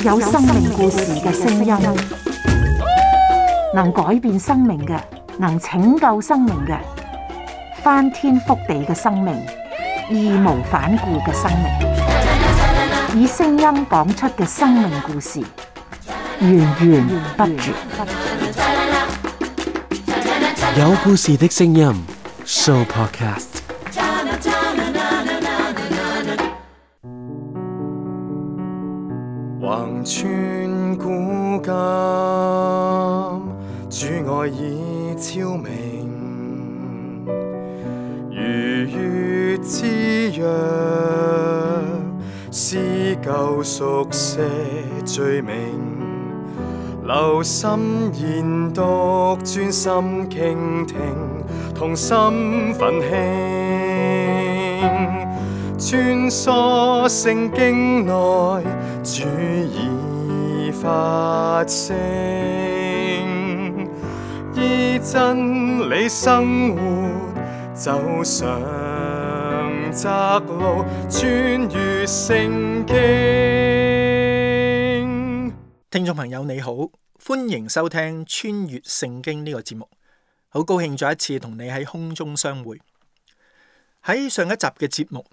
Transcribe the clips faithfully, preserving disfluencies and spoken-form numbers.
有生命故事嘅聲音，能改變生命嘅，能拯救生命嘅，翻天覆地嘅生命，義無反顧嘅生命，以聲音講出嘅生命故事，源源不絕。有故事的聲音 Show Podcast。橫穿古今，主愛已超明，如月之約，是救贖些罪名。留心研讀，專心傾聽，同心奮興，穿梭聖經內，主已發聲，依真理生活，走上窄路，穿越聖經。聽眾朋友你好，歡迎收聽穿越聖經呢個節目，好高興再一次同你喺空中相會。喺上一集嘅節目，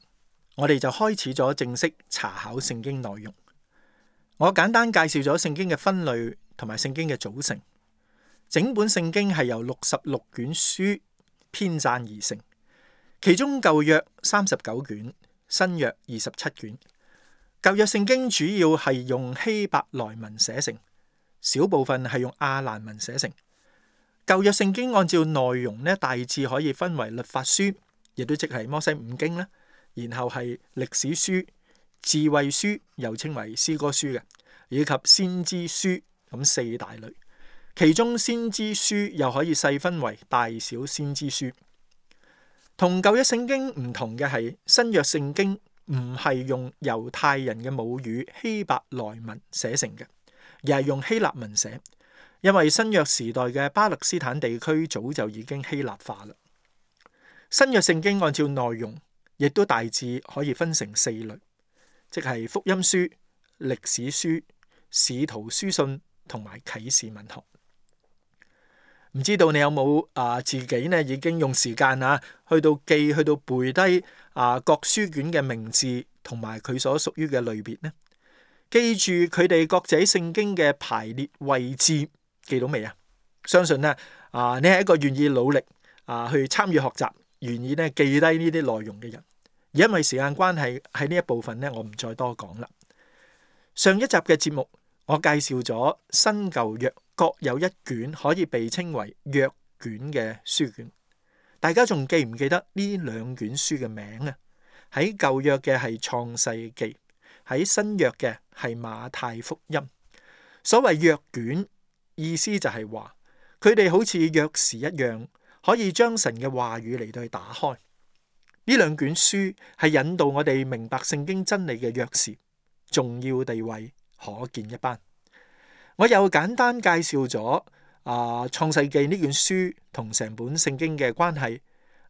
我哋就開始咗正式查考聖經內容。我簡單介紹咗聖經嘅分類同埋聖經嘅組成。整本聖經係由六十六卷書編撰而成，其中舊約三十九卷，新約二十七卷。舊約聖經主要係用希伯來文寫成，小部分係用亞蘭文寫成。舊約聖經按照內容呢，大致可以分為律法書，亦都即係摩西五經啦，然後係歷史書、智慧書，又稱為詩歌書嘅，以及先知書，咁四大類。其中先知書又可以細分為大小先知書。同舊約聖經唔同嘅係，新約聖經唔係用猶太人嘅母語希伯來文寫成嘅，而係用希臘文寫，因為新約時代嘅巴勒斯坦地區早就已經希臘化啦。新約聖經按照內容，亦都大致可以分成四類，即係福音書、歷史書、使徒書信同埋啟示文學。唔知道你有冇啊、呃、自己呢已經用時間啊去到記去到背低啊、呃、各書卷嘅名字同埋佢所屬於嘅類別呢？記住佢哋各自聖經嘅排列位置，記到未啊？相信呢啊、呃、你係一個願意努力啊、呃、去參與學習，願意呢記低呢啲內容嘅人。而因為時間關係，喺呢一部分呢，我唔再多講啦。上一集嘅節目，我介紹咗新舊約各有一卷可以被稱為約卷嘅書卷。大家仲記唔記得呢兩卷書嘅名啊？喺舊約嘅係創世記，喺新約嘅係馬太福音。所謂約卷，意思就係話佢哋好似鑰匙一樣，可以將神嘅話語嚟到去打開。呢兩卷書係引導我哋明白聖經真理嘅鑰匙，重要地位可見一斑。我又簡單介紹咗啊創世記呢卷書同成本聖經嘅關係，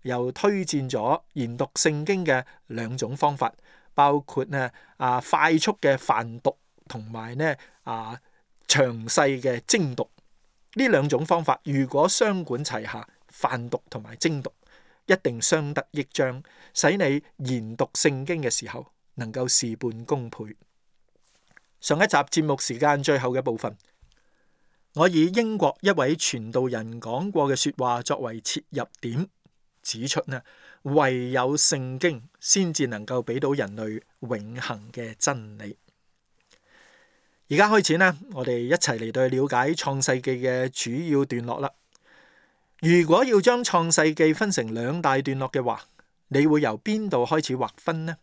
又推薦咗研讀聖經嘅兩種方法，包括呢啊快速嘅泛讀同埋呢啊詳細嘅精讀。呢兩種方法如果雙管齊下，泛讀同埋精讀，一定相得益彰，使你研讀聖經嘅時候能夠事半功倍。上一集節目時間最後嘅部分，我以英國一位傳道人講過嘅說話作為切入點，指出呢，唯有聖經先至能夠俾到人類永恆嘅真理。而家開始呢，我哋一齊嚟到了解創世記嘅主要段落啦。如果要將創世記分成兩大段落嘅話，你會由邊度開始劃分呢？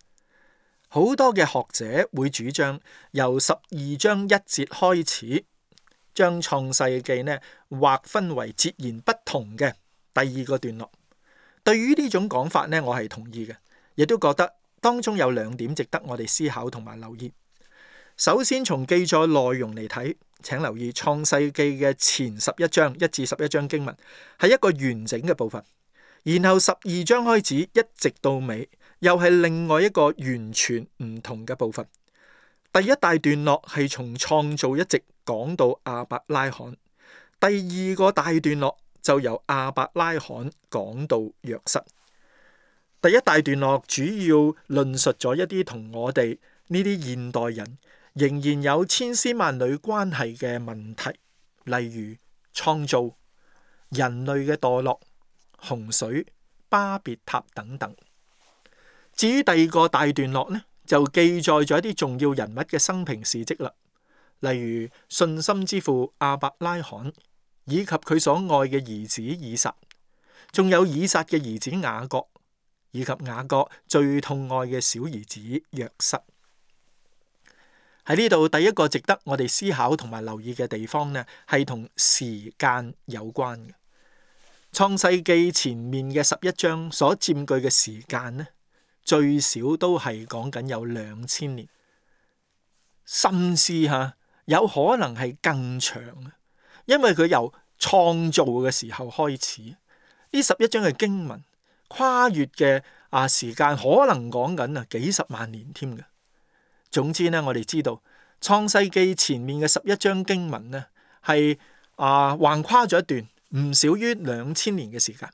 好多嘅學者會主張由十二章一節開始，將創世記呢劃分為截然不同嘅第二個段落。對於呢種講法呢，我係同意嘅，亦都覺得當中有兩點值得我哋思考同埋留意。首先從記載內容嚟睇，請留意創世記嘅前十一章一至十一章經文係一個完整嘅部分，然後十二章開始一直到尾又係另外一個完全唔同嘅部分。第一大段落係從創造一直講到亞伯拉罕，第二個大段落就由亞伯拉罕講到約瑟。第一大段落主要論述咗一啲同我哋呢啲現代人仍然有千絲萬縷關係嘅問題，例如創造、人類嘅墮落、洪水、巴別塔等等。至於第二個大段落呢，就記載咗一啲重要人物嘅生平事蹟啦，例如信心之父亞伯拉罕，以及佢所愛嘅兒子以撒，仲有以撒嘅兒子雅各，以及雅各最痛愛嘅小兒子約瑟。喺呢度，第一個值得我哋思考同埋留意嘅地方呢，係同時間有關嘅。創世記前面嘅十一章所佔據嘅時間呢，最少都係講緊有兩千年，甚至吓有可能係更長，因為佢由創造嘅時候開始，呢十一章嘅經文跨越嘅啊時間可能講緊啊幾十萬年添嘅。總之呢，我哋知道創世記前面嘅十一章經文呢係啊橫跨咗一段唔少於兩千年嘅時間，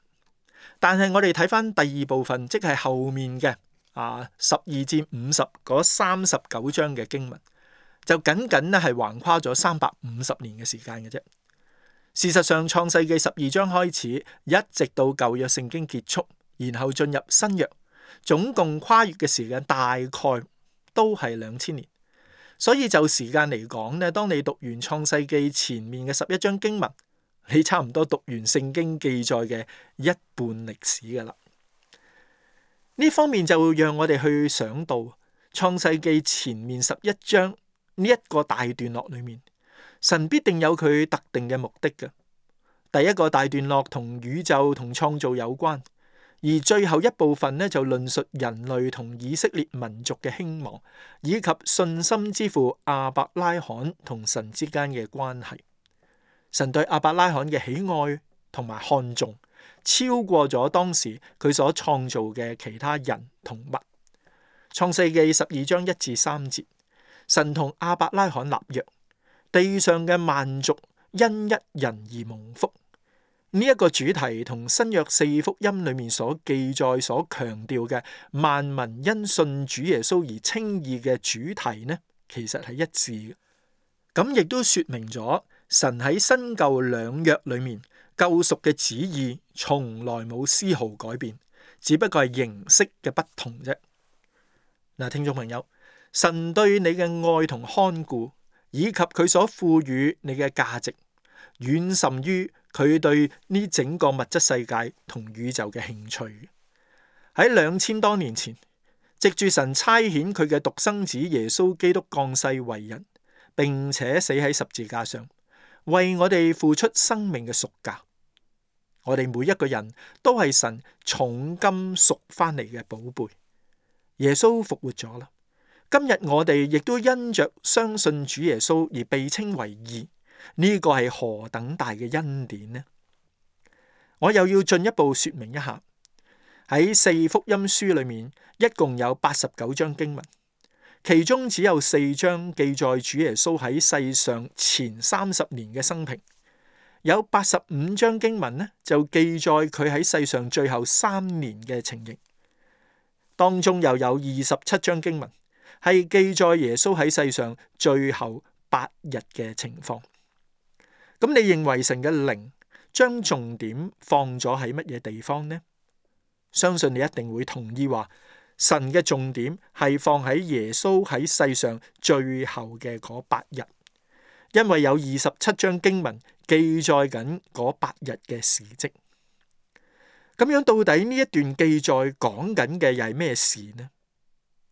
但係我哋睇翻第二部分，即係後面嘅啊十二至五十嗰三十九章嘅經文，就僅僅咧係橫跨咗三百五十年嘅時間嘅啫。事實上，創世記十二章開始，一直到舊約聖經結束，然後進入新約，總共跨越嘅時間大概都係兩千年。所以就時間嚟講咧，當你讀完創世記前面嘅十一章經文，你差唔多讀完聖經記載嘅一半歷史噶啦。呢方面就讓我哋去想到創世記前面十一章呢一個大段落裏面，神必定有佢特定嘅目的嘅。第一個大段落同宇宙同創造有關，而最後一部分呢，就論述人類同以色列民族嘅興亡，以及信心之父亞伯拉罕同神之間嘅關係。神對亞伯拉罕嘅喜愛同埋看重，超過咗當時佢所創造嘅其他人同物。創世記十二章一至三節，神同亞伯拉罕立約，地上嘅萬族因一人而蒙福。呢、這、一個主題同新約四福音裏面所記載、所強調嘅萬民因信主耶穌而稱義嘅主題呢，其實係一致嘅。咁亦都說明咗神喺新舊兩約裏面救贖嘅旨意從來冇絲毫改變，只不過係形式嘅不同啫。嗱，聽眾朋友，神對你嘅愛同看顧，以及佢所賦予你嘅價值，遠甚於佢對呢整個物質世界同宇宙嘅興趣。喺兩千多年前，藉住神差遣佢嘅獨生子耶穌基督降世為人，並且死喺十字架上，為我哋付出生命嘅贖價。我哋每一個人都係神重金贖翻嚟嘅寶貝。耶穌復活咗啦，今日我哋亦都因着相信主耶穌而被稱為義。呢個係何等大嘅恩典呢？我又要進一步說明一下，喺四福音書裏面，一共有八十九章經文，其中只有四章記載主耶穌喺世上前三十年嘅生平，有八十五章經文呢就記載佢喺世上最後三年嘅情形，當中又有二十七章經文係記載耶穌喺世上最後八日嘅情況。咁你認為神嘅靈將重點放咗喺乜嘢地方呢？相信你一定會同意話，神嘅重點係放喺耶穌喺世上最後嘅嗰八日，因為有二十七章經文記載緊嗰八日嘅事蹟。咁樣到底呢一段記載講緊嘅又係咩事呢？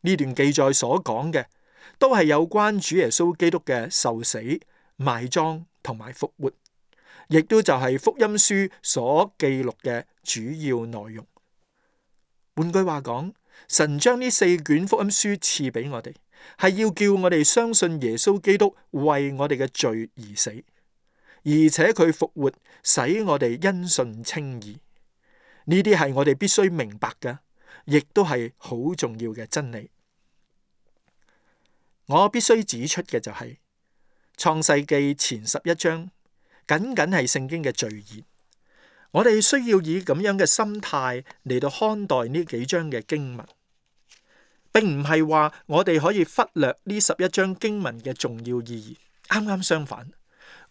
呢段記載所講嘅都係有關主耶穌基督嘅受死、埋葬同埋復活，亦都就係福音書所記錄嘅主要內容。換句話講，神將呢四卷福音書賜俾我哋，係要叫我哋相信耶穌基督為我哋嘅罪而死，而且佢復活，使我哋因信稱義。呢啲係我哋必須明白嘅，亦都係好重要嘅真理。我必須指出嘅就係、是、創世記前十一章僅僅係聖經嘅序言，我哋需要以咁樣嘅心態嚟到看待呢幾章嘅經文，並唔係話我哋可以忽略呢十一章經文嘅重要意義。啱啱相反，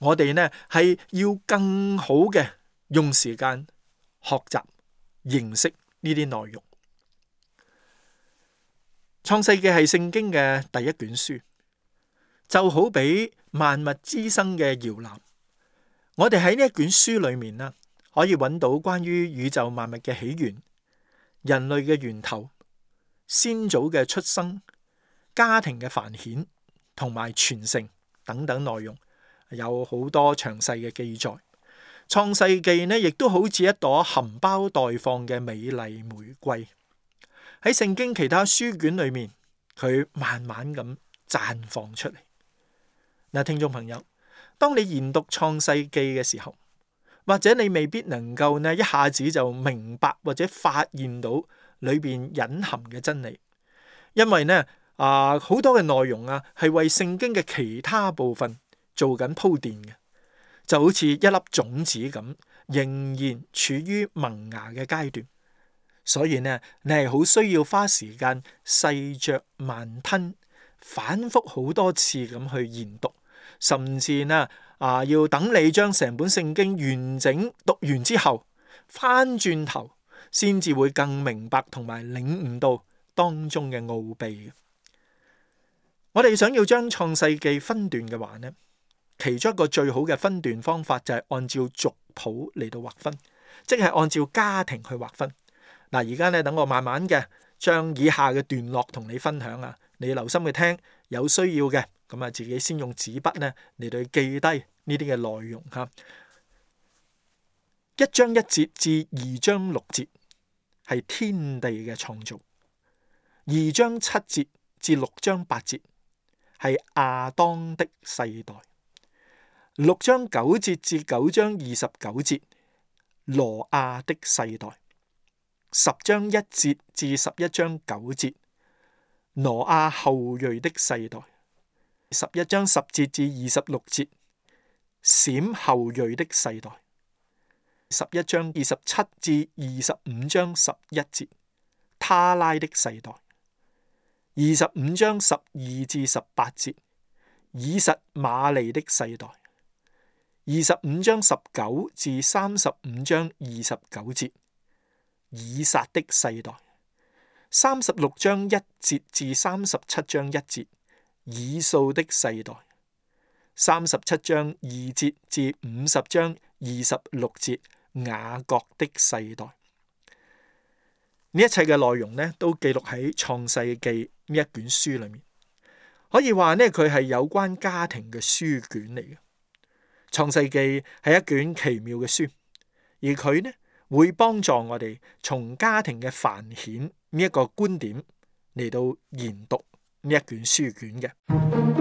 我哋呢係要更好嘅用時間學習認識呢啲內容。創世記係聖經嘅第一卷書，就好比萬物滋生嘅搖籃。我哋喺呢一卷書裏面啦，可以揾到關於宇宙萬物嘅起源、人類嘅源頭、先祖嘅出生、家庭嘅繁衍同埋傳承等等內容，有好多詳細嘅記載。創世記呢，亦都好似一朵含苞待放嘅美麗玫瑰。喺聖經其他書卷裏面，佢慢慢咁綻放出嚟。嗱，聽眾朋友，當你研讀創世記嘅時候，或者你未必能夠呢一下子就明白或者發現到裏邊隱含嘅真理，因為呢啊好多嘅內容啊係為聖經嘅其他部分做緊鋪墊嘅，就好似一粒種子咁，仍然處於萌芽嘅階段。所以呢，你係好需要花時間細嚼慢吞，反覆好多次咁去研讀，甚至呢啊，要等你將成本聖經完整讀完之後，翻轉頭先至會更明白同埋領悟到當中嘅奧秘。我哋想要將創世記分段嘅話呢，其中一個最好嘅分段方法就係按照族譜嚟到劃分，即係按照家庭去劃分。嗱，而家咧等我慢慢嘅將以下嘅段落同你分享啊，你留心去聽，有需要嘅咁啊，自己先用紙筆咧嚟到記低呢啲嘅內容吓。一章一節至二章六節係天地嘅創造，二章七節至六章八節係亞當的世代，六章九節至九章二十九節挪亞的世代。十章一節至十一章九節，挪亞後裔的世代；十一章十節至二十六節，閃後裔的世代；十一章二十七至二十五章十一節，他拉的世代；二十五章十二至十八節，以實瑪利的世代；二十五章十九至三十五章二十九節，以撒的世代；三十六章一節至三十七章一節，以掃的世代；三十七章二節至五十章二十六節，雅各的世代。呢一切嘅內容呢，都記錄喺創世記呢一卷書裏面。可以話呢，佢係有關家庭嘅書卷嚟嘅。創世記係一卷奇妙嘅書，而佢呢，會幫助我哋從家庭嘅繁衍呢一個觀點嚟到研讀呢一卷書卷嘅。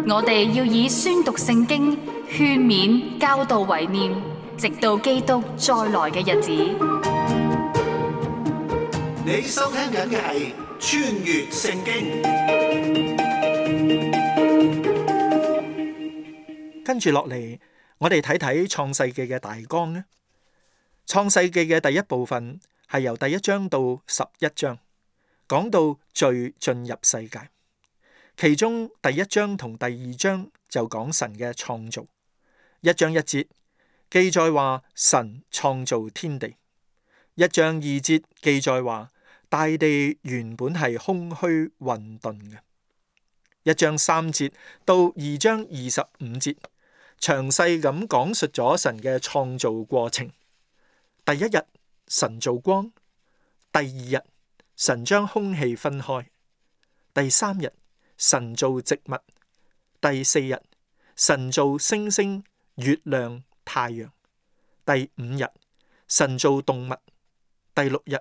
我哋要以宣讀聖經、勸勉、教導為念，直到基督再來嘅日子。你收聽緊嘅係穿越聖經。跟住落嚟，我哋睇睇創世記嘅大綱呢。創世記嘅第一部分係由第一章到十一章，講到罪進入世界。其中第一章同第二章就講神嘅創造。一章一節記載話神創造天地。一章二節記載話大地原本係空虛混沌嘅。一章三節到二章二十五節詳細咁講述咗神嘅創造過程。第一日神造光，第二日神將空氣分開，第三日神造植物，第四日神造星星、月亮、太陽，第五日神造動物，第六日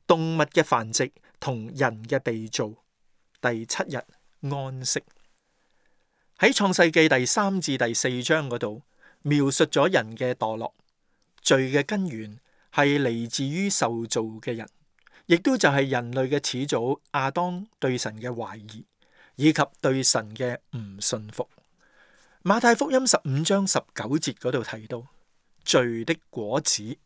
動物嘅繁殖同人嘅被造，第七日安息。喺創世記第三至第四章嗰度描述咗人嘅墮落。罪嘅根源係嚟自於受造嘅人，亦都就係人類嘅始祖亞當對神嘅懷疑，以及對神嘅唔信服。馬太福音十五章十九節嗰度提到罪的果子，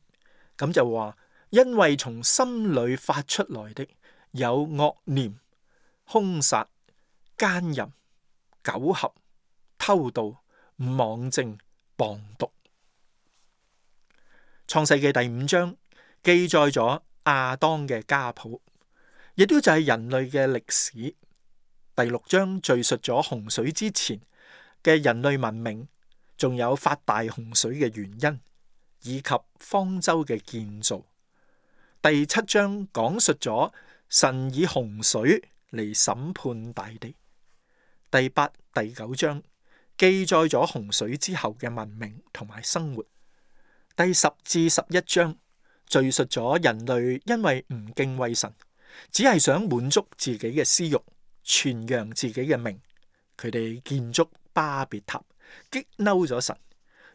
咁就話因為從心裏發出來的有惡念、兇殺、奸淫、苟合、偷盜、妄證、謗讟。創世記第五章記載咗亞當嘅家譜，亦都就係人類嘅歷史。第六章敘述咗洪水之前嘅人類文明，仲有發大洪水嘅原因，以及方舟嘅建造。第七章講述咗神以洪水嚟審判大地。第八、第九章記載咗洪水之後嘅文明同埋生活。第十至十一章敘述咗人類因為唔敬畏神，只係想滿足自己嘅私欲，傳揚自己嘅名，佢哋建築巴別塔，激嬲咗神，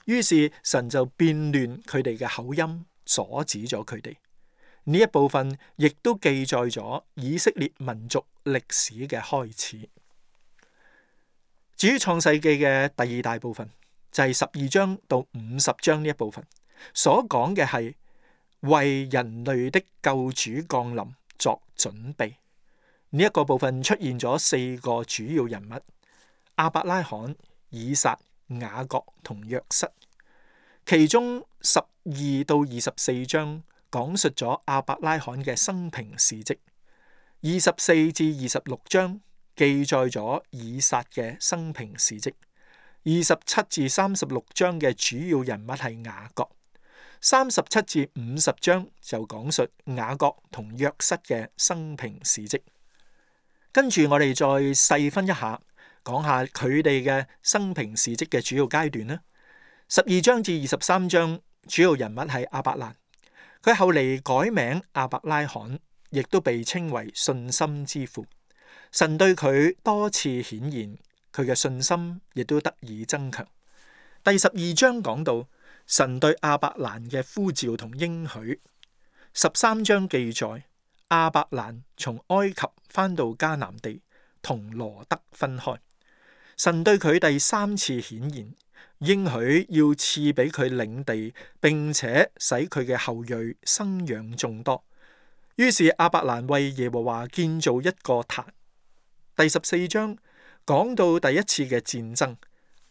於是神就變亂佢哋嘅口音，阻止咗佢哋。呢一部分亦都記載咗以色列民族歷史嘅開始。至於創世記嘅第二大部分，就係十二章到五十章呢一部分，所講嘅係為人類的救主降臨作準備。呢一個部分出現咗四個主要人物：亞伯拉罕、以撒、雅各同約瑟。其中十二到二十四章講述咗亞伯拉罕嘅生平事跡，二十四至二十六章記載咗以撒嘅生平事跡，二十七至三十六章嘅主要人物係雅各，三十七至五十章就講述雅各同約瑟嘅生平事跡。跟住我哋再細分一下，講下佢哋嘅生平事跡嘅主要階段啦。十二章至二十三章主要人物係亞伯蘭，佢後嚟改名亞伯拉罕，亦都被稱為信心之父。神對佢多次顯現，佢嘅信心亦都得以增強。第十二章講到神對亞伯蘭嘅呼召同應許。十三章記載亞伯蘭從埃及返到迦南地，同羅得分開。神對佢第三次顯現，應許要賜俾佢領地，並且使佢嘅後裔生養眾多。於是亞伯蘭為耶和華建造一個壇。第十四章講到第一次嘅戰爭，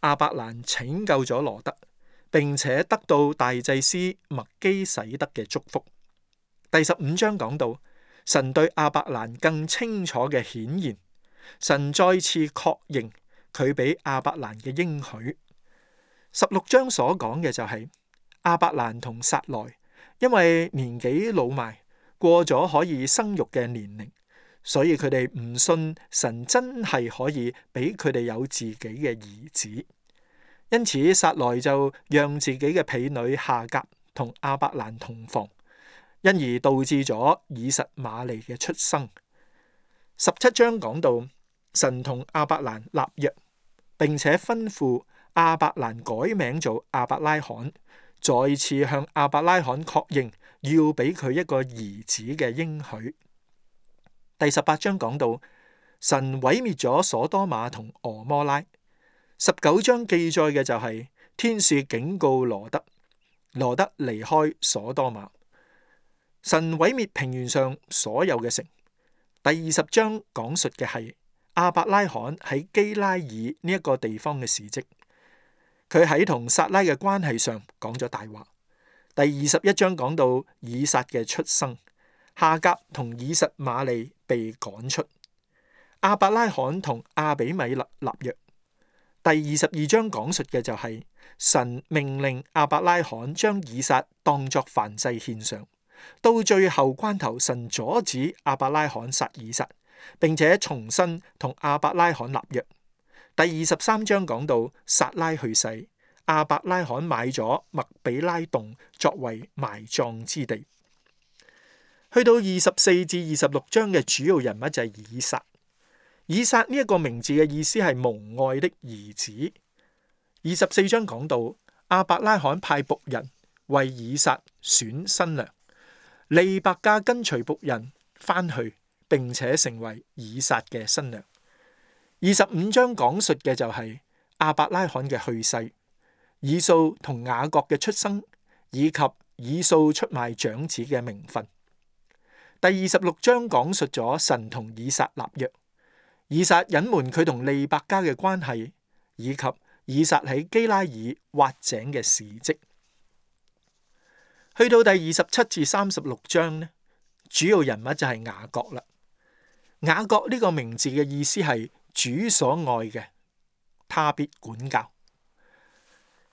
亞伯蘭拯救咗羅得，並且得到大祭司麥基洗德嘅祝福。第十五章講到神對亞伯蘭更清楚嘅顯現，神再次確認佢俾亞伯蘭嘅應許。十六章所講嘅就係亞伯蘭同撒萊，因為年紀老邁，過咗可以生育嘅年齡，所以佢哋唔信神真係可以俾佢哋有自己嘅兒子，因此撒萊就讓自己嘅婢女夏甲同亞伯蘭同房，因而導致咗以實瑪利嘅出生。十七章講到神同亞伯蘭立約，並且吩咐亞伯蘭改名做亞伯拉罕，再次向亞伯拉罕確認要俾佢一個兒子嘅應許。第十八章講到神毀滅咗所多瑪同俄摩拉。十九章記載嘅就係天使警告羅得，羅得離開所多瑪。神毀滅平原上所有嘅城。第二十章講述嘅係亞伯拉罕喺基拉爾呢一個地方嘅事跡。佢喺同撒拉嘅關係上講咗大話。第二十一章講到以撒嘅出生，夏甲同以實瑪利被趕出，亞伯拉罕同亞比米勒立約。第二十二章講述嘅就係神命令亞伯拉罕將以撒當作燔祭獻上，到最後關頭神阻止亞伯拉罕殺以撒，並且重新同亞伯拉罕立約。第二十三章講到撒拉去世，亞伯拉罕買咗麥比拉洞作為埋葬之地。去到二十四至二十六章嘅主要人物就係以撒。以撒呢一個名字嘅意思係蒙愛的兒子。二十四章講到亞伯拉罕派僕人為以撒選新娘，利百加跟隨僕人翻去，並且成為以撒嘅新娘。二十五章講述嘅就係亞伯拉罕嘅去世、以掃同雅各嘅出生，以及以掃出賣長子嘅名分。第二十六章講述咗神同以撒立約，以撒隱瞞佢同利百加嘅關係，以及以撒喺基拉耳挖井嘅事蹟。去到第二十七至三十六章呢，主要人物就係雅各啦。雅各呢個名字嘅意思係主所愛嘅，他必管教。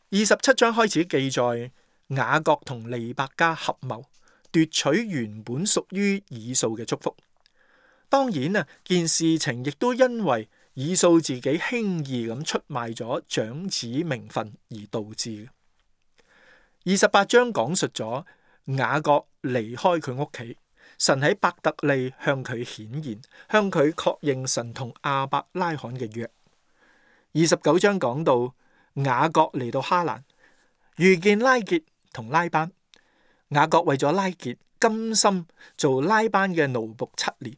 二十七章開始記載雅各同利百加合謀奪取原本屬於以掃嘅祝福。當然啊，件事情亦都因為以掃自己輕易咁出賣咗長子名分而導致嘅。二十八章講述咗雅各離開佢屋企，神喺伯特利向佢顯現，向佢確認神同亞伯拉罕嘅約。二十九章講到雅各嚟到哈蘭，遇見拉結同拉班。雅各為咗拉結，甘心做拉班嘅奴僕七年，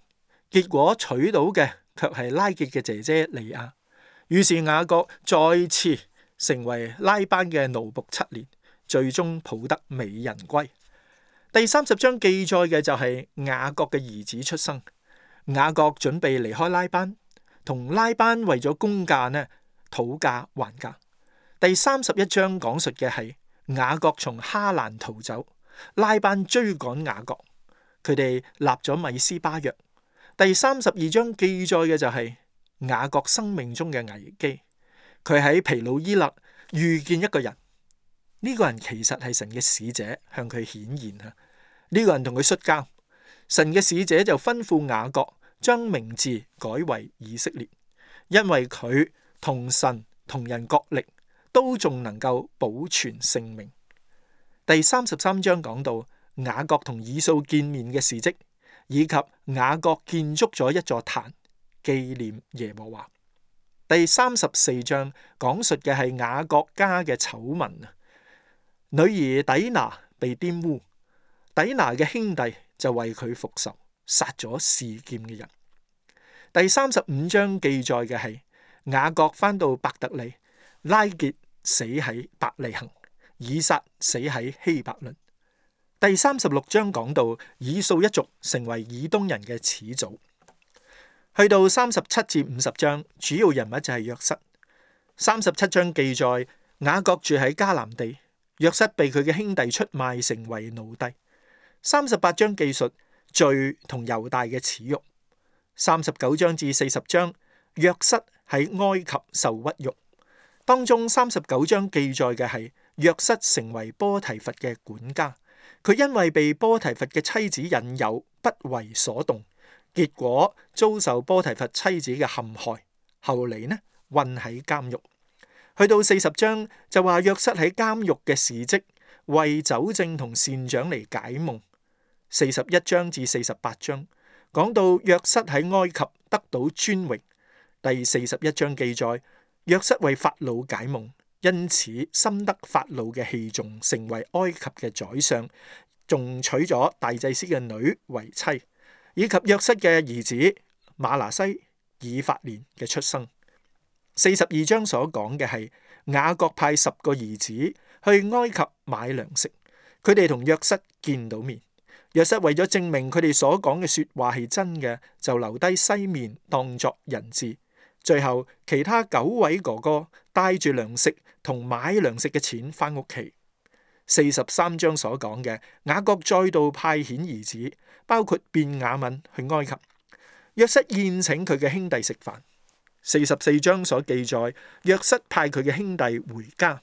結果娶到嘅卻係拉結嘅姐姐利亞。於是雅各再次成為拉班嘅奴僕七年，最終抱得美人歸。第三十章記載嘅就係雅各嘅兒子出生。雅各準備離開拉班，同拉班為咗公價呢討價還價。第三十一章講述嘅係雅各從哈蘭逃走，拉班追趕雅各，佢哋立咗米斯巴約。第三十二章記載嘅就係雅各生命中嘅危機，佢喺皮努伊勒遇見一個人，呢、這個人其實係神嘅使者向佢顯現啊！呢、這個人同佢摔跤，神嘅使者就吩咐雅各將名字改為以色列，因為佢同神同人角力，都仲能夠保存性命。第三十三章講到雅各同以掃見面嘅事跡，以及雅各建築咗一座壇紀念耶和華。第三十四章講述嘅係雅各家嘅醜聞啊，女兒底拿被玷污，底拿嘅兄弟就為佢復仇，殺咗示劍嘅人。第三十五章記載嘅係雅各返到伯特利，拉結死喺伯利恆，以撒死喺希伯倫。第三十六章講到以掃一族成為以東人嘅始祖。去到三十七至五十章，主要人物就係約瑟。三十七章記載雅各住喺迦南地，約瑟被佢嘅兄弟出賣成為奴隸。三十八章記述罪同猶大嘅恥辱。三十九章至四十章，約瑟喺埃及受屈辱。當中三十九章記載嘅係約瑟成為波提乏嘅管家，佢因為被波提乏嘅妻子引誘，不為所動，結果遭受波提乏妻子嘅陷害，後嚟呢困喺監獄。去到四十章就話約瑟喺監獄嘅事蹟，為酒政同善長嚟解夢。四十一章至四十八章講到約瑟喺埃及得到尊榮。第四十一章記載約瑟為法老解夢，因此深得法老嘅器重，成為埃及嘅宰相，仲娶咗大祭司嘅女為妻，以及約瑟嘅兒子馬拿西、以法蓮嘅出生。四十二章所講嘅係雅各派十個兒子去埃及買糧食，佢哋同約瑟見到面。約瑟為咗證明佢哋所講嘅說話係真嘅，就留低西面當作人質。最後其他九位哥哥帶住糧食同買糧食嘅錢翻屋企。四十三章所講嘅雅各再度派遣兒子，包括便雅憫去埃及。約瑟宴請佢嘅兄弟食飯。四十四章所記載約瑟派佢嘅兄弟回家，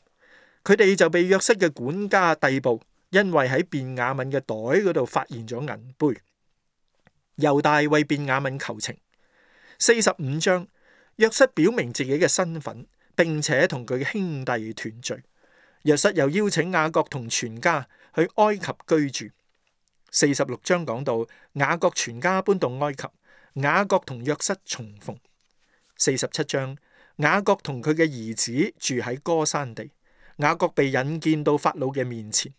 佢哋就被約瑟嘅管家逮捕，因為喺便雅憫嘅袋嗰度發現咗銀杯。猶大為便雅憫求情。四十五章約瑟表明自己嘅身份，並且同佢嘅兄弟團聚。約瑟又邀請雅各同全家去埃及居住。四十六章講到雅各全家搬到埃及，雅各同約瑟重逢。四十七章雅各同佢嘅兒子住喺歌珊地，雅各被引薦到法老嘅面前，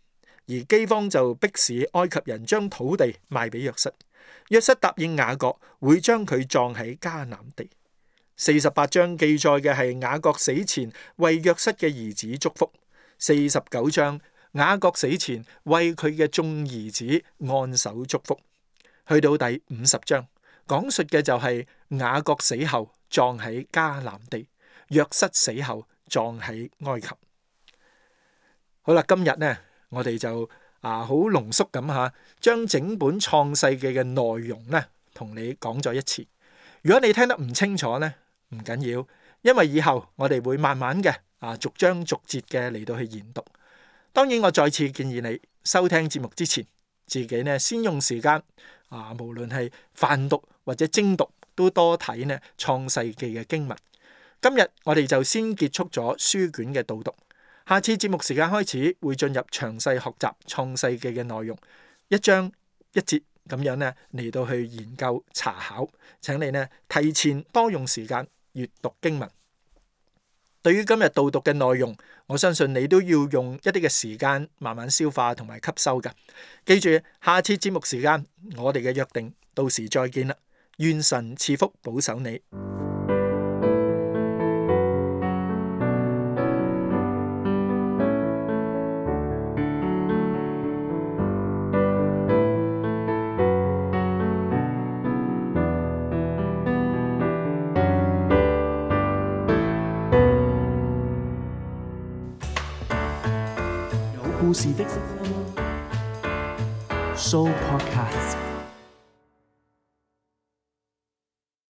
而饑荒就迫使埃及人將土地賣俾約瑟。約瑟答應雅各會將佢葬喺迦南地。四十八章記載嘅係雅各死前為約瑟嘅兒子祝福。四十九章雅各死前為佢嘅眾兒子按手祝福。去到第五十章講述嘅就係雅各死後葬喺迦南地，約瑟死後葬喺埃及。好啦，今日呢我哋就啊好濃縮咁吓，將整本創世記嘅內容呢同你講咗一次。如果你聽得唔清楚呢，唔緊要，因為以後我哋會慢慢嘅啊逐章逐節嘅嚟到去研讀。當然我再次建議你收聽節目之前，自己呢先用時間啊，無論係泛讀或者精讀，都多睇呢創世記嘅經文。今日我哋就先結束咗書卷嘅導讀，下次節目時間開始會進入詳細學習創世記嘅內容，一章一節咁樣呢嚟到去研究查考，請你呢提前多用時間閱讀經文。對於今日導讀嘅內容，我相信你都要用一啲嘅時間慢慢消化同埋吸收㗎。記住，下次節目時間我哋嘅約定，到時再見啦。願神賜福保守你。故事的聲音 Show Podcast。